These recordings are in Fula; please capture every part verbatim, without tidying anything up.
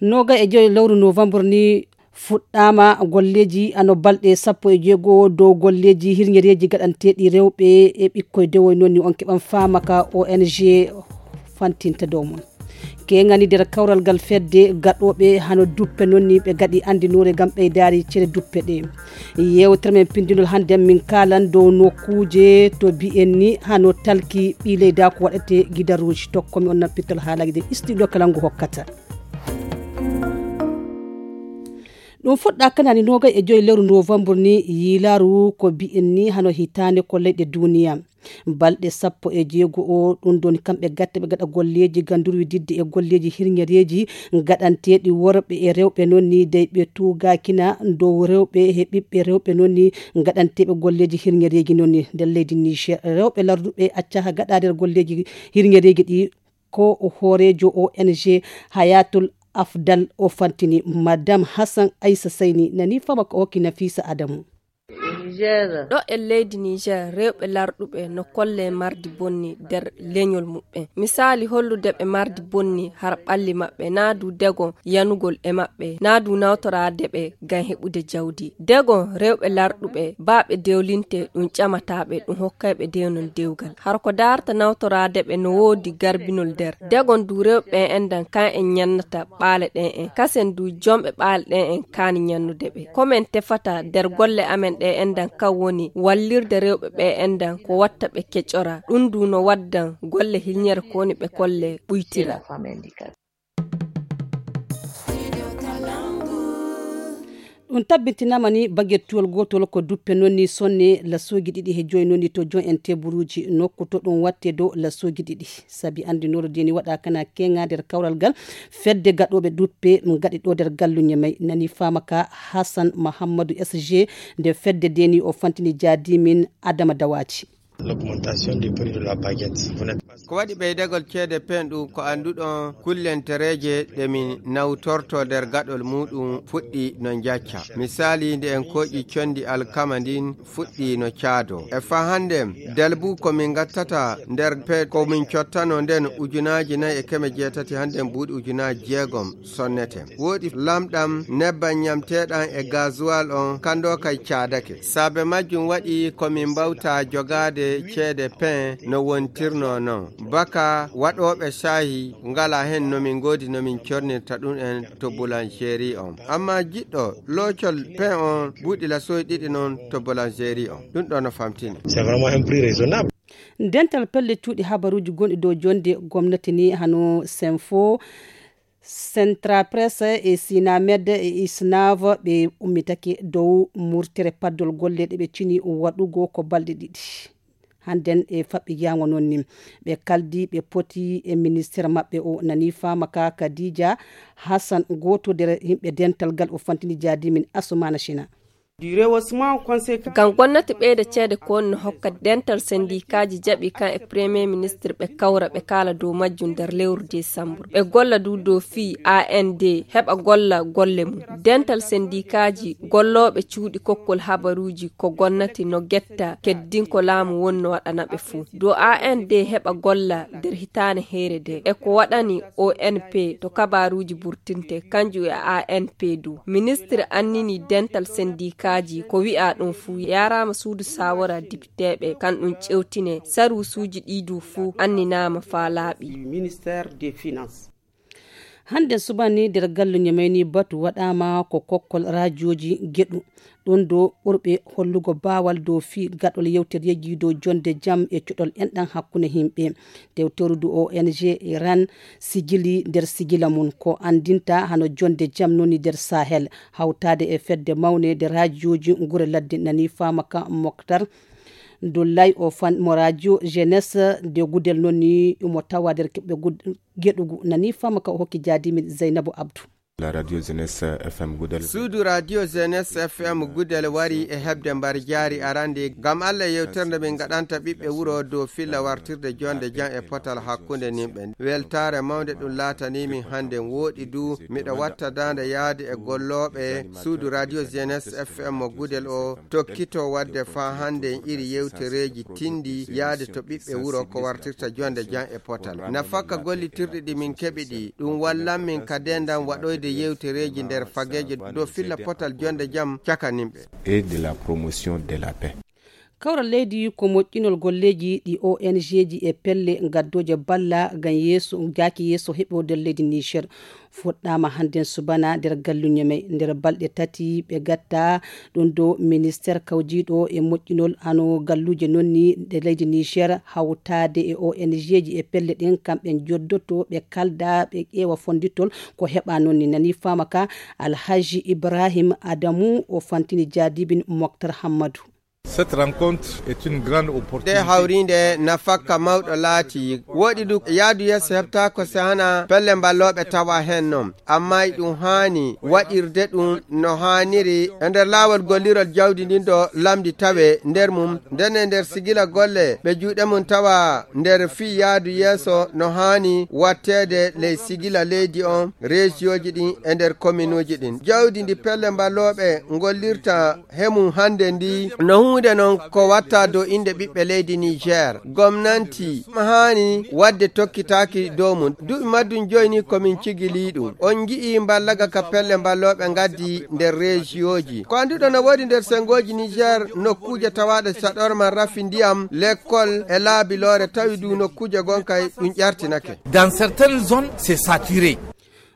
Noga e joyi lewru novembre ni fuɗɗaama golleeji hano balɗe sappo e jeego dow golleeji hirñereeji gaɗanteeɗi rewɓe e ɓikkoy dewoy. Noon ni on keɓan faama ka O N G fantinta dow mon. Keŋani nder kawral ngal fedde gaɗooɓe hano duppe noon ni ɓe gaɗi anndinoore ngam ɓeydaari cere duppe ɗe. Yeewtere men pinndinol hannde min kaalan dow nokkuuje to bi'en ni hano talki ɓii leyda ko waɗate gidaruuji. Tokko mi on nappitol haalaaji ɗe studio kala ngu hokkata. Ɗum fuɗɗa kanani noogay e joyi lewru novembre ni yiilaaru ko bi'en ni hano hitaande ko leyɗe duniya. Balɗe sappo e jeego o ɗum ɗon kamɓe gatte ɓe gaɗa golleeji gandurwi didde e golleeji hirñereeji gaɗanteeɗi worɓe e rewɓe noon ni dey ɓe tuugakina dow rewɓe e ɓiɓɓe rewɓe noon ni gaɗanteeɓe golleeji hirñereeji noon ni nder leydi Niger. Rewɓe larduɓe accaha gaɗa nder golleeji hirñereeji ɗi ko hooreejo O N G Hayatul Afdal o fantini. Madame Hassan Aissa Sayni nani fama ko hokki Nafisa Adamu. Ɗo e leydi Niger, rewɓe larɗuɓe no kolle mardi bonni nder leñol muɓɓen. Misali hollude ɓe mardi bonni har ɓalli maɓɓe, naa du degon yanugol e maɓɓe, naa du nawtoraade ɓe ngam heɓude jawdi. Degon rewɓe larɗuɓe, baa ɓe dewlinte, ɗum ƴamata ɓe, ɗum hokkay ɓe dewnol dewgal. Har ko daarta nawtoraade ɓe no woodi garbinol nder. Degon du rewɓe en endan kan en ñannata ɓaale ɗen en. Kasen du jomɓe ɓaale ɗen en kaani ñannude ɓe. Ko men tefata nder golle amen ɗe endan kan woni wallirde rewɓe ɓe endan ko watta ɓe keƴora. Ɗum du no waddan golle hilñere ko woni ɓe kolle ɓuytira. Ɗum tabbintinama ni bagettuwol gotol ko duppe noon ni sonne lasuuji ɗiɗi he joyi noon ni to jon en teburuuji nokku to ɗum watte dow lasuuji ɗiɗi. Sabi anndinoro de ni waɗa kana keŋa nder kawral ngal fedde gaɗoɓe duppe gaɗi ɗo nder galluñe may nani fama ka Hassan Mahammadu S G nde fedde de ni o fantini jaadimin Adama Dawaji. L'augmentation du prix de la baguette. Vous n'êtes pas... Ko waɗi ɓeydagol ceede peen ɗum ko annduɗon kullentereeje ɗe min nawtorto nder gaɗol muɗum fuɗɗi no njacca. Misali, nde en kooƴi condi alkama ndin fuɗɗi no caado. E fa hande, dalbu ko min gattata nder pe-, ko min cottano nden ujunaaji nayi e keme jeetati, hande buuɗi ujunaaji jeegom sonnete. Woodi lamɗam, nebban ñamteeɗan e gazuwal on, kan ɗo kay caadake. Saabe majjum waɗi ko min mbawta jogaade ceede pen no wontirnoo non. Baka waɗooɓe caahi ngala hen no min ngoodi no min cornirta ɗum en to boulangerie on. Amma jiɗɗo loocol pen on buuɗi lasoy ɗiɗi non to boulangerie on. Ɗum ɗo no famtini. C'est vraiment un prix raisonnable. Dental pelle cuuɗi habaruuji gonɗi dow jonde gomnati ni hano Senfo, Centra Presse e Sinamed e Isnav ɓe ummitake dow murtere paddol golle ɗe ɓe cini waɗugo ko balɗe ɗiɗi. Hannden e faɓɓi jaango noon ni ɓe kaldi ɓe poti e ministére maɓɓe o nani fama ka Kadija Hassan gooto nder yimɓe dental gal o fantini jaadimin Asumana Shina. Ngam gomnati ɓeyda ceede ko woni no hokka dental sendikaaji jaɓi kan e premier ministre ɓe kawra ɓe kaala dow majjum nder lewru desambur. Ɓe golla du dow fii A N D heɓa golla golle mum. Dental sendikaaji gollooɓe cuuɗi kokkol habaruuji ko gomnati no getta keddin ko laamu woni no waɗana ɓe fuu. Dow A N D heɓa golla nder hitaane heere de. E ko waɗani O N P to kabaruuji burtinte kanjum e A N P du. Ministre annini dental sendikaaji ko wi'a ɗum fuu yaraama suudu sawora dipiteeɓe kan ɗum ƴewtine. Saruusuuji ɗi du fuu anninaama faa laaɓi. Ministère des Finances. Hannde subani nder galluñe may ni batu waɗaama ko kokkol raajooji geɗu. Ɗum do ɓurɓe hollugo baawal dow fii gaɗol yewtereeji dow jonde jam e cuɗol enɗan hakkunde yimɓe. Tewtorudu O N G Iran sigili nder sigila mum ko anndinta hano jonde jam noni nder Sahel, hawtaade e fedde mawne nde raajooji ngure ladde nani fama ka Moktar Dullay o fan mo rajo Jeunesse de Gudel noni mo tawa nder keɓɓe gud-, geɗugu nani fama ka o hokki jaadimin Zeynabu Abdu. La radio Jeunesse F M Gudel. Suudu radio Jeunesse F M Gudel wari e heɓde mbar jaari arande ngam Alla yewtere nde min ngaɗanta ɓiɓɓe wuro dow filla wartirde jonde jam e potal hakkunde nimɓe. Weltaare mawnde ɗum laatani min hannde wooɗi du miɗo watta daande yaade e gollooɓe suudu radio Jeunesse F M Gudel o tokkito waɗde faa hannde en iri yewtereeji tinndi yaade to ɓiɓɓe wuro ko wartirta jonde jam e potal. Nafaka gollitirɗi ɗi min keɓi ɗi, ɗum wallan min ka dendam waɗoyde Yewtereeji nder fageeje dow filla potal jonde jam cakanimɓe. Et de la promotion de la paix. Kawral leydi ko moƴƴinol golleeji ɗi O N G ji e pelle gaddooje balla ngam yeeso, jaaki yeeso heɓoode leydi Niger. Fuɗɗaama hannden subana nder galluñe may. Nder balɗe tati ɓe gatta ɗum dow ministeer kawjiiɗo e moƴƴinol hano galluuje non ni nde leydi Niger hawtaade e O N G ji e pelle ɗen kamɓe joddoto ɓe kalda ɓe ƴeewa fonnditol ko heɓa non ni nani faama ka. Alhaji Ibrahim Adamu o fantini jaadibin Moktar Hammadu. Cette rencontre est une grande opportunité. Nde hawriinde nafakka mawɗo laati. Woɗi du yaadu yeeso heɓtaako sehana pelle mballooɓe tawa heen noon. Amma e ɗum haani waɗirde ɗum no haaniri e nder laawol gollirol jawdi ndin ɗo lamndi tawe nder mum. Nden e nder sigila golle ɓe juuɗe mum tawa nder fii yaadu yeeso no haani watteede ley sigila leydi on, reesiyooji ɗin e nder kominuuji ɗin. Jawdi ndi pelle mballooɓe ngollirta he mum hannde ndi no huunde non ko watta dow innde ɓiɓɓe leydi Niger. Gomnanti haani waɗde tokkitaaki dow mum. Duuɓi maddum joyi ni ko min cigilii ɗum. On ngi'ii mballaga ka pelle mballooɓe ngaddi nder reesiyooji. Ko annduɗo no woodi nder senngooji Niger nokkuuje tawaaɗe saɗorma rafi ndiyam, lekkol e laabi loore tawi du nokkuuje gonka e ɗum ƴartinake. Dans certaines zones, c'est saturé.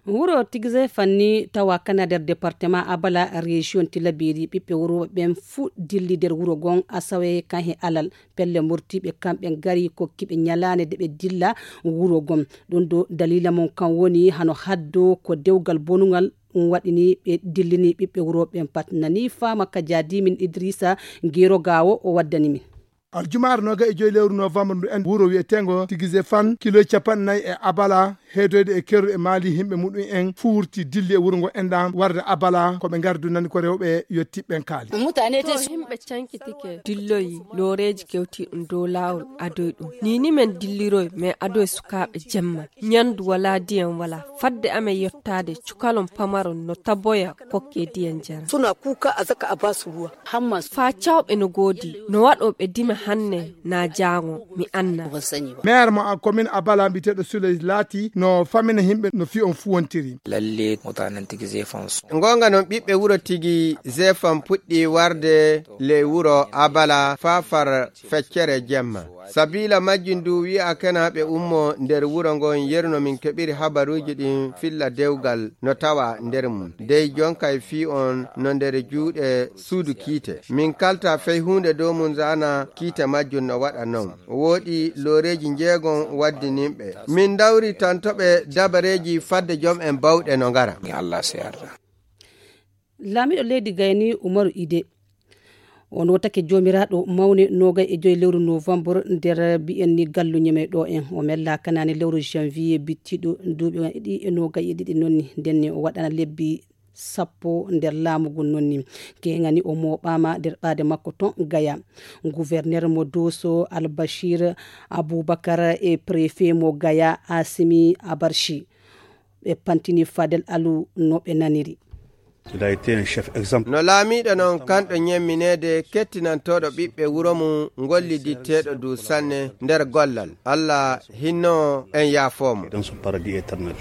Wuro Tigze fanni tawa kana nder département Abala région Tilaberi ɓiɓɓe wuro ɓen fuu dilli nder wuro gon asawe kan he alal. Pelle murtiiɓe kamɓe ngari kokkiiɓe ñalaande de ɓe dilla wuro gon. Ɗum ɗo daliila mum kan woni hano haddo ko dewgal bonungal ɗum waɗini ɓe dillini ɓiɓɓe wuro ɓen pat. Nani faama ka jaadimin Idrissa Gero Gawo o waddani min. Aljumaare noga e joyi lewru novembre ndu en wuro wiyeteengo Tigze Fan kilo capanɗe nayi e Abala heedoyde e kerru e maali himɓe muɗum en fuurti dilli e wuro ngo enɗan warde Abala ko ɓe ngardu nani ko rewɓe yottiɓɓen kaali. Mutane te himɓe cankitike dilloyi looreeji kewti ɗum dow laawol adoy ɗum. Nini men dilliroy men adoy sukaaɓe jemma. Ñandu wala diyan wala. Fadde amen yottaade cukalon pamaron no taboya kokke diyan jara. Suna kuka a zaka a basu ruwa. Hammas. Faa cawɓe no goodi, no waɗo ɓe dima hanne naa jaango, mi anna. Maire mo a commune Abala mbiyeteeɗo Souley laati no famina himɓe no fii on fuwontiri. Lalle mutanen tigi zefan so. Ngonga non ɓiɓɓe wuro tigi zefan puɗɗi warde ley wuro Abala faa far feccere jemma. Sabiila majjum du wi'a kena ɓe ummo nder wuro ngon yeru no min keɓiri habaruuji ɗin filla dewgal no tawa nder mum. Dey jonka e fii on no nder juuɗe suudu kiite. Min kalta fey huunde dow mum zana kiite majjum no waɗa non. Wooɗi looreeji njeegon waddininɓe. Min ndawri tantoɓe dabareeji fadde jom en bawɗe no ngara. Ni Allah seyarda. Laamiiɗo leydi gayni Umaru Ide. O nootake joomiraaɗo mawne noogay e joyi lewru novembre nder mbiyen ni galluñe men ɗo en. O mella kanaane lewru janvier bittiɗo duuɓi ɗiɗi e noogay e ɗiɗi nonni. Ndenne o waɗana lebbi sappo nder laamu ngun nonni. Keŋani o mooɓaama nder ɓaade makko ton Gaya. Gouverneur mo Doso Albashir Abubakar e préfet mo Gaya Asimi Abarshi. Ɓe pantini Fadel Alu no ɓe naniri. Il a été un chef exemple. No laamiiɗo non kanɗo ñemmineede kettinantooɗo ɓiɓɓe wuro mum ngolliditteeɗo du sanne nder gollal. Allah hinno en yaafoo mo. Dans son paradis éternel.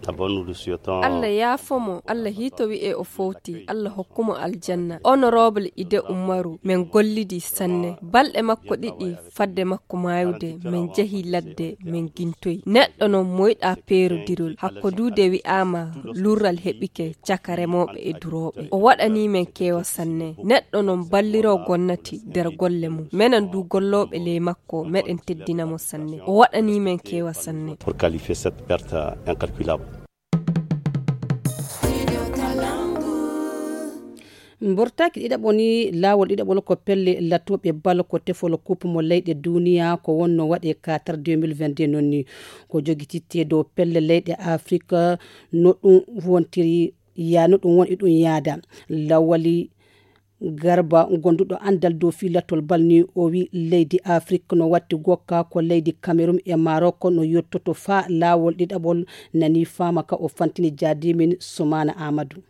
Abonnu du siyo ton. Allah yaafoo mo, Allah hiito wi'e o fowti, Allah hokku mo aljanna. Honorable Ide Umaru, men gollidi sanne. Balɗe makko ɗiɗi fadde makko maayude, men jehi ladde, men gintoyi. Neɗɗo non moyɗa peerodirol. Hakko duude wi'aama lurral heɓike caka remooɓe e durooɓe. O waɗanii men keewa sanne. Neɗɗo non balliroo gonnati nder golle mum. Menen du gollooɓe ley makko, meɗen teddina mo sanne. O waɗanii men keewa sanne. Pour qualifier cette perte incalculable. Mbortaaki ɗiɗaɓo ni, laawol ɗiɗaɓol ko pelle latooɓe bal ko tefol coupe mo leyɗe duniya ko wonno waɗe Qatar deux mille vingt-deux non ni. Ko jogititte dow pelle leyɗe Afrik no ɗum wontiri ya, no ɗum woni ɗum yaada. Lawali Garba, gonduɗo anndal dow fii lattol bal ni, o wi leydi Afrik no watti gokka ko leydi Cameroun e Maroc no yottoto faa laawol ɗiɗaɓol nani faama ka o fantini jaadimin Soumana Amadou.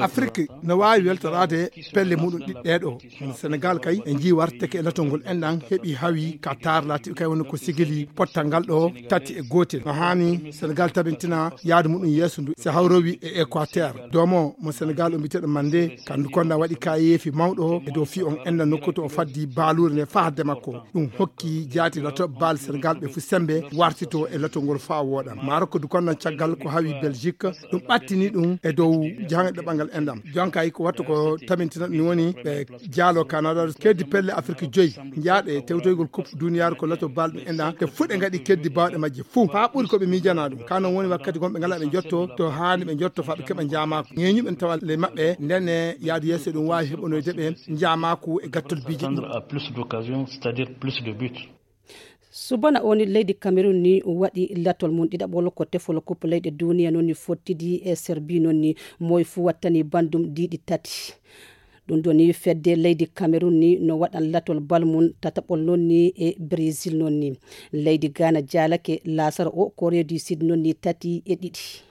Afrik no waawi weltoraade pelle muɗum ɗiɗɗe ɗo. Senegal kay e njii warteke e latol ngol enɗan heɓi hawi ka taar laatiɗo kay woni ko sigili pottal ngal ɗo tati e gootel. No haani Senegal tabintina yaadu muɗum yeeso ndu si hawrowi e Équateur. Doomo mo Senegal o mbiteɗo Mande kandu konda waɗi kayeefi mawɗo e dow fi on enɗan nokku to o faddi baaluure nde faa hadde makko. Ɗum hokki jaati lato baal Senegal ɓe fu sembe wartito e latol ngol faa wooɗa. Maroko du konda caggal ko hawi Belgique. Ɗum ɓattini ɗum e dow jahangal ɗaɓɓal ngal enɗam. Jonkay ko wattu ko tabintina ɗum woni ɓe jaalo Canada keddi pelle Afirki joyi. Njaaɗe tewtoygol coupe duniyaaru ko lato bal ɗum enɗam. Ɓe fuɗe ngaɗi keddi baawɗe majje fuu. Faa ɓuri ko ɓe miijana ɗum. Ka non woni wakkati gonɓe ngala ɓe njotto to haani ɓe njotto faa ɓe keɓa njaamaaku. Ŋeeñuɓe ne tawa le maɓɓe nden ne yaadu yeeso ɗum waawi heɓonoyde ɓe njaamaaku e gattol biiji ɗum. Attendre à plus d'occasions, c'est-à-dire plus de buts. Subana o ni leydi Cameroun ni waɗi latol mum ɗiɗaɓol ko tefol coupe leyɗe duniya noon ni fottidi e Serbie noon ni moy fu wattani bandum diiɗi tati. Ɗum ɗo ni fedde leydi Cameroun ni no waɗan latol bal mum tataɓol noon ni e Brésil noon ni. Leydi Ghana jaalake laasara o Corée du Sud noon ni tati e ɗiɗi.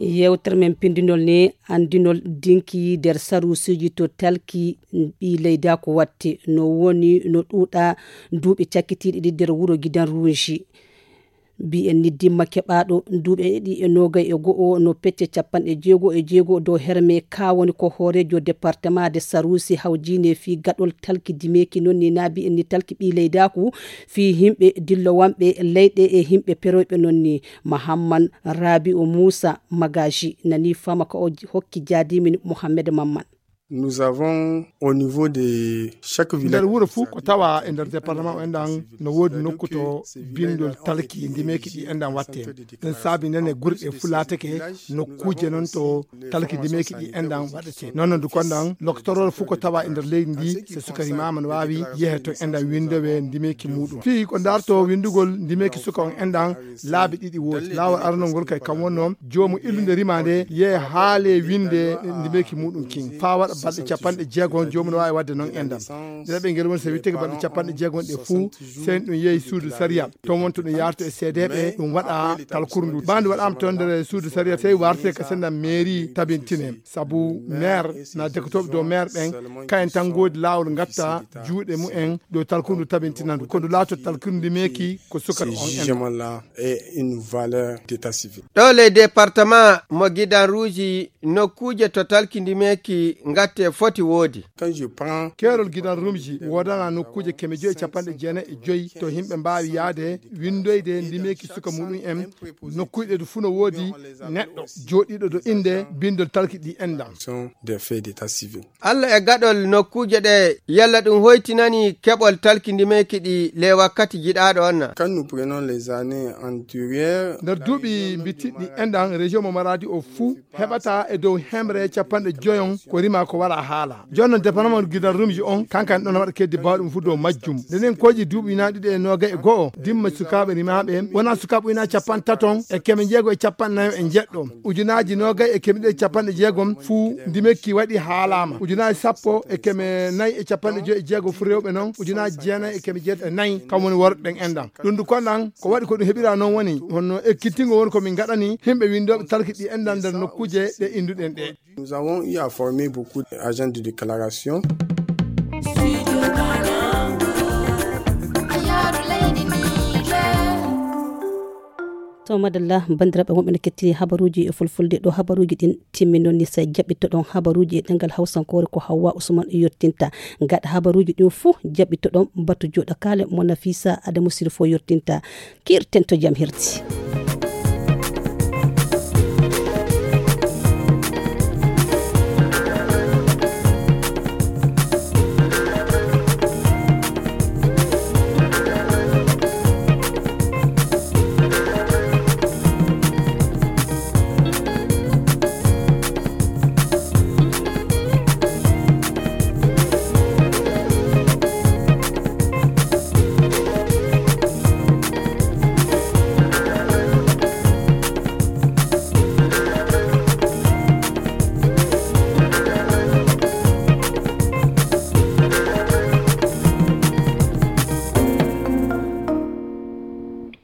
Yewtere men pindinol ni anndinol dinki nder saruusiiji to talki ɓii leydaako watte no woni no ɗuuɗa duuɓi cakkitiiɗi ɗi nder wuro Gidan Runji. Mbiyen ni dimma keɓaaɗo duuɓi ɗiɗi e noogay e go'o no pecce capanɗe jeego e jeego dow herme ka woni ko hooreejo departement de saruusi hawjiine fii gaɗol talki dimeeki noon ni naa mbiyen ni talki ɓii leydaaku fii yimɓe dillowanɓe leyɗe e yimɓe peroyɓe noon ni. Mahamman Rabi'u Muusa Magaji nani fama ka o hokki jaadimin Mohammed Mamman. Nous avons au niveau de chaque village. Nder wuro fuu ko tawa e nder département o enɗan no woodi nokku to bindol talki ndimeeki ɗi enɗan watte. Ɗum saabi nden e gure ɗe fuu laatake nokkuuje noon to talki ndimeeki ɗi enɗan waɗete. Noon noon du konɗan loktorol fuu ko tawa e nder leydi ndi so suka rimaama no waawi yehe to enɗan windowe ndimeeki muuɗum fii ko ndarto windugol ndimeeki suka on enɗan. Laabi ɗiɗi woodi laawol aranol ngol kay kam wonno joomu illunde rima nde yehe haale winde ndimeeki muuɗum kin faa waɗa balɗe capanɗe jeegom joomu no waawi waɗde noon enɗan. Nde ɓe ngel woni so witteke balɗe capanɗe jeegom ɗe fuu sey ɗum yehi suudu sariya toon wonto ɗum yarto e seedeeɓe ɗum waɗa talkuru ndu. Ɓaandu waɗaama toon nder suudu sariya sey warte ka senda mairie tabintine sabu maire na dekotooɓe dow maire ɓen kayen tan ngoodi laawol ngatta juuɗe mumen dow talkuru ndu tabintina ndu ko ndu laato talkuru ndu meeki ko sukata on en. Et une valeur d'état civil. Ɗo ley département mo gidan ruuji nokkuuje to talki ndimeeki ngatte foti woodi. Quand je prends keerol gidan rumji woodana nokkuuje keme joyi e capanɗe jeenayi e joyi to yimɓe mbaawi yaade winndoyde ndimeeki suka muɗum en nokkuuje ɗe fuu no woodi neɗɗo jooɗiiɗo do innde binndol talki ɗi enɗan. Sont des faits d'état civil. Alla e gaɗol nokkuuje ɗe yalla ɗum hoytinani keɓol talki ndimeeki ɗi ley wakkati jiɗaaɗo on na? Quand nous prenons les années antérieures, nder duuɓi mbittiɗi enɗan région mo maradi o fuu heɓata e dow hemre capanɗe joyon ko rima ko wala haala. Jooni noon département gidan rumji on kankan ɗon waɗa keddi bawɗum fuu dow majjum. Ndenen kooƴi duuɓi ujunaaji ɗiɗi e noogay e go'o dimma sukaaɓe rimaaɓe wona sukaaɓe ujunaaji capanɗe taton e keme jeego e capanɗe nayo e jeɗɗo ujunaaji noogay e keme ɗiɗi e capanɗe jeegom fuu ndimekki waɗi haalaama ujunaaji sappo e keme nayi e capanɗe joyi e jeego fuu rewɓe noon ujunaaji jeenayi e keme jeetati e nayi kam woni worɓe ɓen enɗan. Ɗum du konɗan ko waɗi ko ɗum heɓira noon woni honno ekkitingo woni ko min ngaɗani yimɓe winndooɓe talki ɗi enɗan nder nokkuuje ɗe innduɗen ɗe. Nous avons eu à former beaucoup d'agents de déclaration. To madalla banndiraaɓe wonɓe no kettini habaruuji e fulfulde ɗo habaruuji ɗin timmi noon ni so jaɓɓittoɗon habaruuji e ɗengal hawsankoore ko hawwa usman yottinta gaɗa habaruuji ɗin fuu jaɓɓittoɗon batu jooɗo kaale mo nafisa adamu sirfo yottinta. Kiirten to jam hirti.